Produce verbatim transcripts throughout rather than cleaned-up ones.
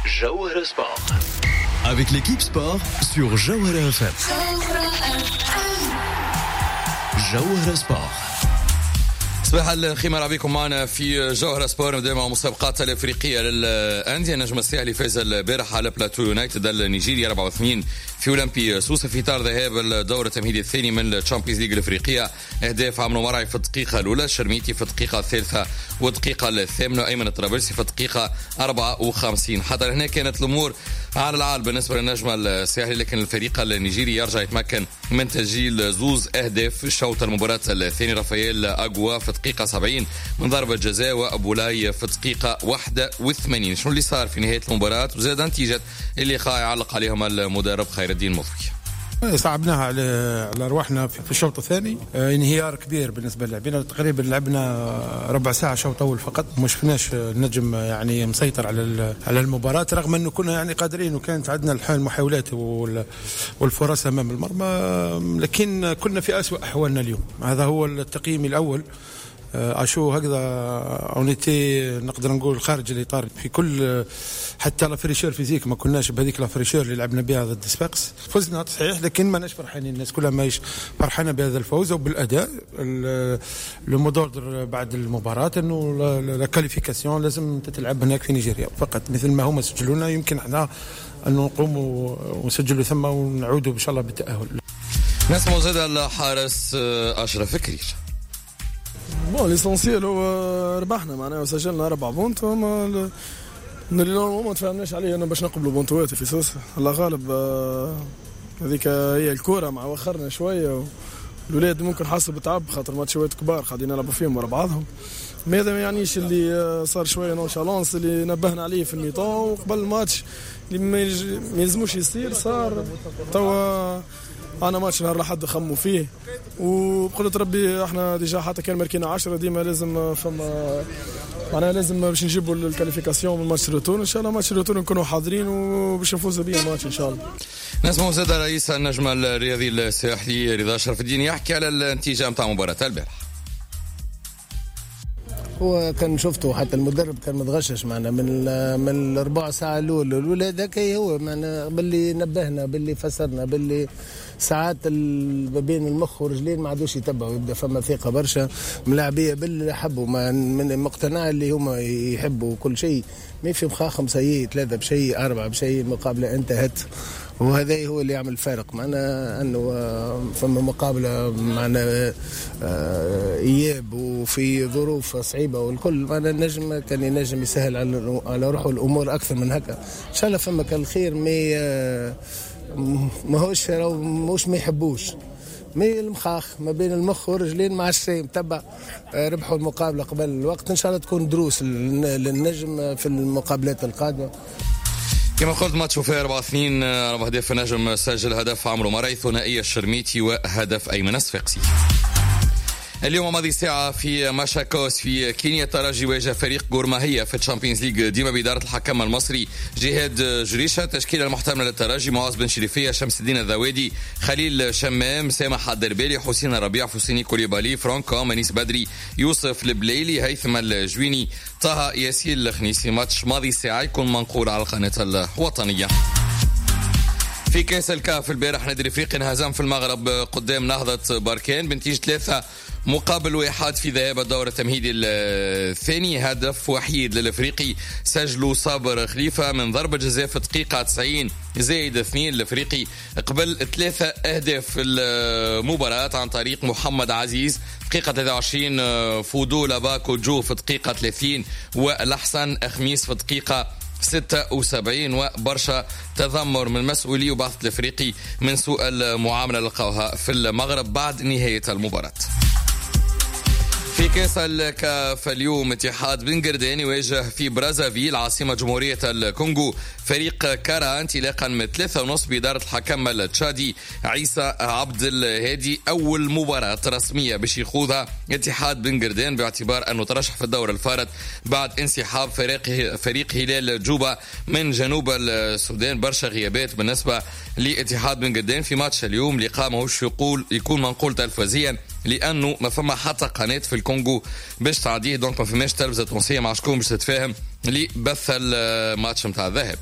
جوهرة Sport avec l'équipe sport sur جوهرة F M. جوهرة Sport. صباح الخير، مرحبا بكم معنا في جوهرة Sport. نبدا مع المسابقات الافريقية للانديه. النجم الساحلي فاز البارح على بلاتو يونايتد النيجيري أربعة اثنين في اولمبي سوسة في اطار ذهاب الدور التمهيدي الثاني من ال Champions League الافريقيه. اهداف عمرو مرعي في الدقيقة الاولى، الشرميتي في الدقيقة الثالثة والدقيقة الثامنه، ايمن الطرابلسي في الدقيقة أربعة وخمسين. حتى هنا كانت الامور على العال بالنسبة للنجم الساحلي، لكن الفريق النيجيري يرجع يتمكن من تسجيل زوز اهداف في شوط المباراة الثاني. رافائيل اغوا في دقيقة سبعين من ضربة جزاء، وأبولاي في دقيقة واحد وثمانين. شنو اللي صار في نهاية المباراة وزاد نتيجة اللقاء يعلق عليهم المدرب خير الدين مضوي. صعبناها على على ارواحنا في الشوط الثاني، انهيار كبير بالنسبة للاعبين. تقريبا لعبنا ربع ساعة شوط اول فقط، ما شفناش النجم يعني مسيطر على على المباراة، رغم انه كنا يعني قادرين وكانت عندنا المحاولات والفرص امام المرمى، لكن كنا في اسوأ احوالنا اليوم. هذا هو التقييم الاول. اشو هكذا on était نقدر نقول خارج الاطار في كل، حتى la fraîcheur physique ما كناش بهذيك la fraîcheur اللي لعبنا بها ضد صفاقس. فزنا صحيح، لكن ماناش فرحانين، الناس كلها ماهيش فرحانة بهذا الفوز وبالاداء. le mot d'ordre بعد المباراة انه la qualification لازم تتلعب هناك في نيجيريا فقط، مثل ما هما سجلونا يمكن احنا ان نقوموا ونسجلوا ثم ونعودوا ان شاء الله بالتاهل. نسمع زاد الحارس اشرف كرير. bon l'essentiel هو ربحنا معناها وسجلنا اربع buts، هما اللي normalement ما تفاهمناش عليه انه باش نقبلوا بونتوات في سوسة. الله غالب، هذيك هي الكورة، مع وخرنا شوية الاولاد ممكن حسوا بتعب خاطر ماتشات كبار قاعدين نلعبوا فيهم ورا بعضهم. ما هذا ما يعنيش اللي صار شوية nonchalance اللي نبهنا عليه في ال mi-temps وقبل الماتش اللي ما يلزموش يصير صار. توا انا ماتش نهار لحد خموا فيه، وبقدرة ربي احنا déjà حتى كان ماركينا عشرة ديما لازم فما معناها لازم باش نجيبوا ال qualification من match retour. ان شاء الله match retour نكونوا حاضرين وباش نفوزوا به الماتش ان شاء الله. نسمع زاد رئيس النجم الرياضي الساحلي رضا شرف الدين يحكي على النتيجة نتاع مباراة البارح. هو كان شفته حتى المدرب كان متغشش معنا من من الربع ساعة الاولى الاولى هذاك هو معنا باللي نبهنا باللي فسرنا باللي ساعات ما بين المخ والرجلين ما عادوش يتبعوا، يبدا فما ثقة برشا ملاعبيه باللي حبوا ما من مقتنع اللي هما يحبوا كل شيء، ما في مخاخم سيء ثلاثة بشيء اربعة بشيء المقابلة انتهت، وهذا هو اللي يعمل فارق معنا انه فما مقابله معنا اياب وفي ظروف صعيبة والكل معنا النجم كان ينجم يسهل على على روحه الامور اكثر من هكا. ان شاء الله فما كان الخير، mais ماهوش ماهوش ما يحبوش mais المخاخ ما بين المخ والرجلين مع الشيء متبع. ربحوا المقابلة قبل الوقت، ان شاء الله تكون دروس للنجم في المقابلات القادمة. كما قلت ماتش وفاء أربعة اثنين، أربع أهداف النجم، سجل هدف عمرو مرعي، ثنائية الشرميتي وهدف أيمن الصفاقسي. اليوم ماضي ساعة في ماشاكوس في كينيا، الترجي واجه فريق غورماهيا في ال Champions League ديما بإدارة الحكم المصري جهاد جريشة. تشكيلة المحتملة للترجي: معاذ بن شريفية، شمس الدين الذوادي، خليل شمام، سامح الدربالي، حسين الربيع، فوسيني كوليبالي، فرانكو، منيس بدري، يوسف البليلي، هيثم الجويني، طه ياسين الخنيسي. ماتش ماضي ساعة يكون منقول على القناة الوطنية. في كاس الكاف البارح نادي الافريقي انهزم في المغرب قدام نهضة بركان بنتيجة ثلاثة مقابل واحد في ذهاب الدور التمهيدي الثاني. هدف وحيد للافريقي سجله صابر خليفة من ضربة جزاء في دقيقة تسعين زائد اثنين. الافريقي قبل ثلاثة اهداف في المباراة عن طريق محمد عزيز دقيقة ثلاثة وعشرين، فودو لاباكو جو في دقيقة ثلاثين، والحسن خميس في دقيقة ستة وسبعين. وبرشا تذمر من مسؤولي وبعثة الافريقي من سوء المعاملة لقاوها في المغرب بعد نهاية المباراة. في كاس الكاف اليوم اتحاد بن قردان يواجه في برازافيل عاصمة جمهورية الكونغو فريق كارا انطلاقا من ثلاثة ونص بإدارة الحكم التشادي عيسى عبد الهادي. أول مباراة رسمية باش يخوضها اتحاد بن قردان باعتبار أنه ترشح في الدور الفارط بعد انسحاب فريق فريق هلال جوبا من جنوب السودان. برشا غيابات بالنسبة لاتحاد بن قردان في ماتش اليوم، لقاء ماهوش يقول يكون منقول تلفزيا لانه ما فما حتى قناة في الكونغو باش تعديه، donc ما فماش تلفزه تونسية مع شكون باش تتفاهم لبث الماتش متاع الذهب.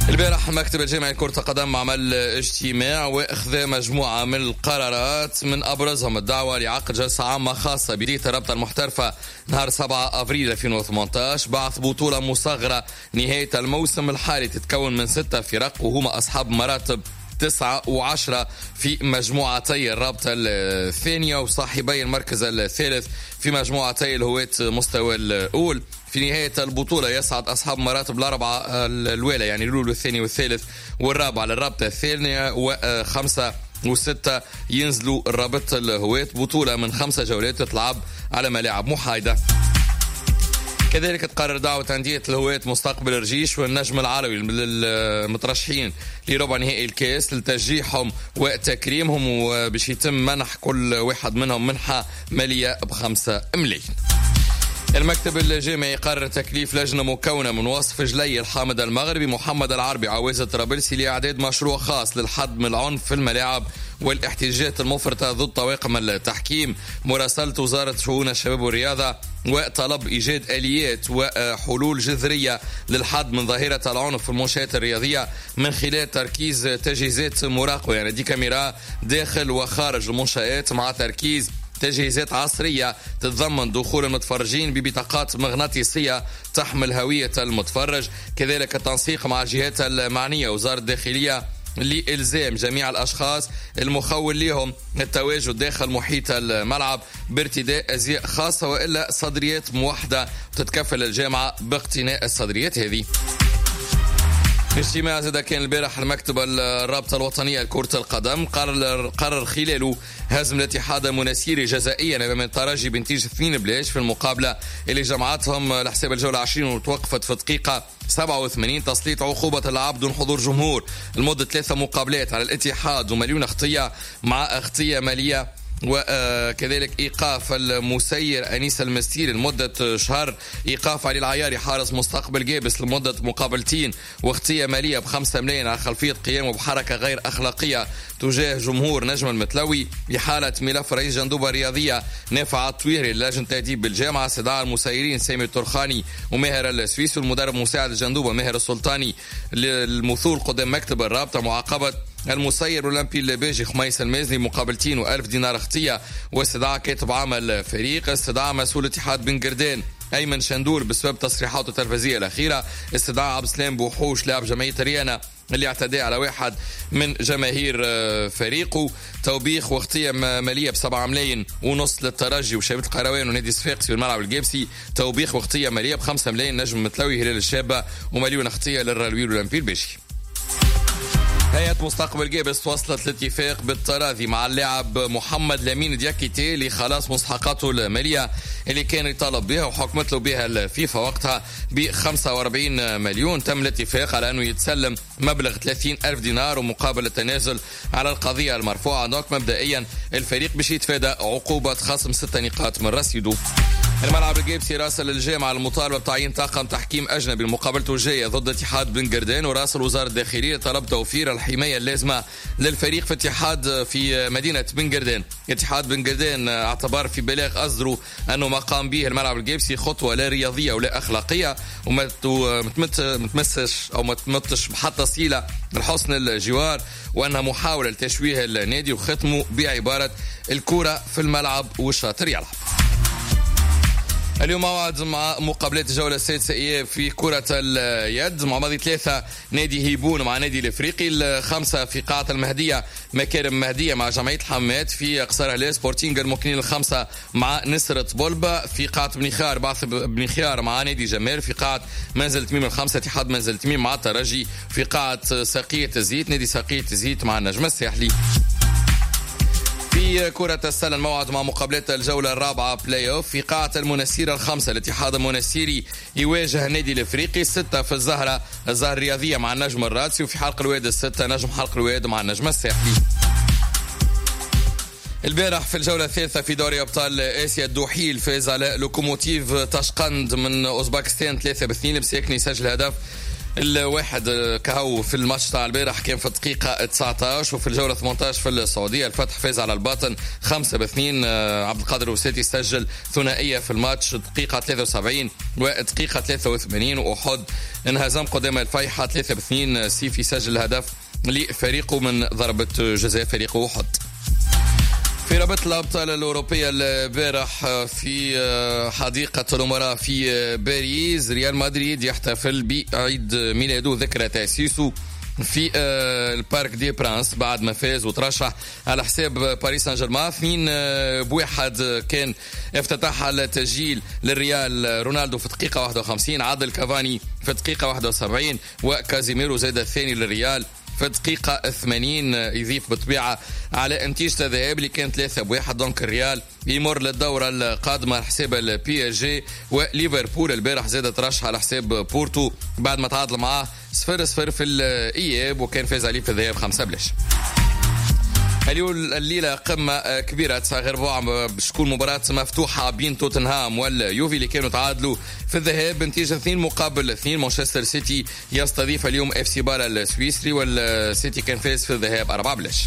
البارح المكتب الجامعي لكرة القدم عمل اجتماع واخذ مجموعة من القرارات، من أبرزهم الدعوة لعقد جلسة عامة خاصة بداية الرابطة المحترفة نهار سبعة أفريل ألفين وثمانية عشر، بعث بطولة مصغرة نهاية الموسم الحالي تتكون من ستة فرق وهما أصحاب مراتب تسعة وعشرة في مجموعتي الرابطة الثانية وصاحبي المركز الثالث في مجموعتي الهواة مستوى الأول. في نهاية البطولة يصعد أصحاب مراتب الأربعة الأولى يعني الأول والثاني والثالث والرابع للرابطة الثانية، وخمسة وستة ينزلوا الرابطة الهواة. بطولة من خمسة جولات تتلعب على ملاعب محايدة. كذلك تقرر دعوة أندية الهواة مستقبل الرجيش والنجم العربي المترشحين لربع نهائي الكاس لتشجيعهم وتكريمهم، وباش يتم منح كل واحد منهم منحة مالية بخمسة ملايين. المكتب الجامعي قرر تكليف لجنة مكونة من وصف جلي الحامد المغربي محمد العربي عوازة طرابلسي لإعداد مشروع خاص للحد من العنف في الملاعب والاحتجاجات المفرطة ضد طواقم التحكيم، مراسلة وزارة شؤون الشباب والرياضة وطلب إيجاد آليات وحلول جذرية للحد من ظاهرة العنف في المنشآت الرياضية من خلال تركيز تجهيزات مراقبة يعني دي كاميرا داخل وخارج المنشآت، مع تركيز تجهيزات عصرية تتضمن دخول المتفرجين ببطاقات مغناطيسية تحمل هوية المتفرج، كذلك التنسيق مع الجهات المعنية وزارة الداخلية لإلزام جميع الأشخاص المخول لهم التواجد داخل محيط الملعب بارتداء أزياء خاصة وإلا صدريات موحدة تتكفل الجامعة باقتناء الصدريات هذه. اجتماع زاد كان البارح المكتب الرابطة الوطنية لكرة القدم قرر قرر خلاله هزم الاتحاد المناسيري جزائيا امام الترجي بنتيجة اثنين بلاش في المقابلة اللي جمعتهم لحساب الجولة عشرين وتوقفت في دقيقة سبعة وثمانين، تسليط عقوبة اللعب دون حضور جمهور لمدة ثلاثة مقابلات على الاتحاد ومليون خطية مع خطية مالية، وكذلك إيقاف المسير أنيس المستير لمدة شهر، إيقاف علي العياري حارس مستقبل جابس لمدة مقابلتين واختية مالية بخمسة ملايين على خلفية قيامه بحركة غير أخلاقية تجاه جمهور نجم المتلوي، إحالة ملف رئيس جندوبة الرياضية نافع الطويري للجنة تأديب بالجامعة، استدعاء المسيرين سامي الترخاني وماهر السويسي والمدرب مساعد الجندوبة ماهر السلطاني للمثول قدام مكتب الرابطة، معاقبة المسير الأولمبي الباجي خميس المازني مقابلتين وألف دينار خطية، واستدعاء كاتب عام الفريق، استدعاء مسؤول اتحاد بن قردان أيمن شندور بسبب تصريحاته التلفزيونية الأخيرة، استدعاء عبد السلام بوحوش لاعب جمعية ريانا اللي اعتدى على واحد من جماهير فريقه، توبيخ وخطية مالية بسبعة ملايين ونص للترجي وشبيبة القروان ونادي صفاقسي والملعب الجابسي، توبيخ وخطية مالية بخمسة ملايين نجم متلوي هلال الشابة، ومليون خطية للرالوي الأولمبي الباجي. هيئة مستقبل جابس وصلت الاتفاق بالتراضي مع اللاعب محمد لامين دياكيتي لخلاص مستحقاته المالية اللي كان يطالب بها وحكمت له بها الفيفا وقتها ب خمسة وأربعين مليون. تم الاتفاق على أنه يتسلم مبلغ ثلاثين ألف دينار ومقابل التنازل على القضية المرفوعة. donc مبدئيا الفريق باش يتفادى عقوبة خصم ستة نقاط من رصيده. الملعب الجيبسي راسل الجامعة المطالبة بتعيين طاقم تحكيم أجنبي لمقابلته الجاية ضد اتحاد بن قردان، وراسل وزارة الداخلية طلب توفير الحماية اللازمة للفريق في اتحاد في مدينة بن قردان. اتحاد بن قردان اعتبر في بلاغ أصدره أنه ما قام به الملعب الجيبسي خطوة لا رياضية ولا أخلاقية وما تمسش أو ما تمتش بحتى صلة لحسن الجوار، وأنها محاولة لتشويه النادي، وختمه بعبارة الكرة في الملعب والشاطر يلعب. اليوم موعد مع مقابلات الجولة السادسة إياب في كرة اليد، مع ماضي ثلاثة نادي هيبون مع نادي الإفريقي، الخمسة في قاعة المهدية مكارم مهدية مع جمعية الحمات، في قصر هلال سبورتينغ المكنين الخمسة مع نسرة بولبا، في قاعة بن خيار بعث بن خيار مع نادي جمال، في قاعة منزل تميم الخمسة اتحاد منزل تميم مع الترجي، في قاعة ساقية الزيت نادي ساقية الزيت مع النجم الساحلي. في كرة السلة الموعد مع مقابلات الجولة الرابعة بلاي اوف في قاعة المنسيرة الخمسة الاتحاد المنسيري يواجه النادي الافريقي، الستة في الزهرة الزهرة الرياضية مع النجم الرادسي، وفي حلق الواد الستة نجم حلق الواد مع النجم الساحلي. البارح في الجولة الثالثة في دوري أبطال آسيا الدحيل فاز على لوكوموتيف تاشقند من أوزباكستان ثلاثة باثنين، بساكني سجل هدف الواحد كهو في الماتش تاع البارح كان في الدقيقة تسعطاش. وفي الجولة ثمانطاش في السعودية الفتح فاز على الباطن خمسة باثنين، عبد القادر وساتي سجل ثنائية في الماتش دقيقة ثلاثة وسبعين ودقيقة ثلاثة وثمانين. وأحد انهزم قدام الفيحة ثلاثة باثنين، سيفي سجل هدف لفريقه من ضربة جزاء فريقه أحد. في رابطة الأبطال الأوروبية البارح في حديقة الأمراء في باريس، ريال مدريد يحتفل بعيد ميلاده ذكرى تأسيسه في ال Parc des Princes بعد ما فاز وترشح على حساب باريس سان جيرمان اثنين بواحد. كان افتتح التسجيل للريال رونالدو في دقيقة واحد وخمسين، عادل كافاني في دقيقة واحد وسبعين، وكازيميرو زاد الثاني للريال في دقيقة ثمانين، يضيف بالطبيعة على نتيجة الذهاب اللي كانت ثلاثة بواحد. donc الريال يمر للدورة القادمة على حساب ال PSG. وليفربول البارح زاد ترشح على حساب بورتو بعد ما تعادل معاه صفر صفر في الإياب، وكان فاز عليه في الذهاب خمسة بلاش. اليوم الليلة قمة كبيرة تسعة غير ربع باش تكون مباراة مفتوحة بين توتنهام واليوفي اللي كانوا تعادلوا في الذهاب بنتيجة اثنين مقابل اثنين. مانشستر سيتي يستضيف اليوم اف سي بالا السويسري، والسيتي كان فاز في الذهاب أربعة بلاش.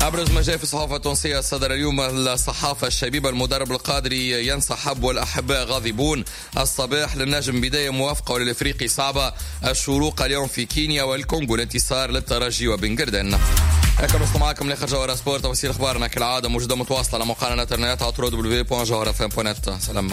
أبرز ما جاء في الصحافة التونسية صدر اليوم الصحافة الشبيبة، المدرب القادري ينسحب والأحباء غاضبون. الصباح للنجم بداية موافقة وللإفريقي صعبة. الشروق اليوم في كينيا والكونغو، الانتصار للترجي وبنجردن. هكا نوصل معكم لاخر جوهرة سبورت. تفاصيل اخبارنا كالعادة موجودة متواصلة على موقعنا الانترنت على دبليو دبليو دبليو دوت جوهرة اف ام دوت نت. سلام.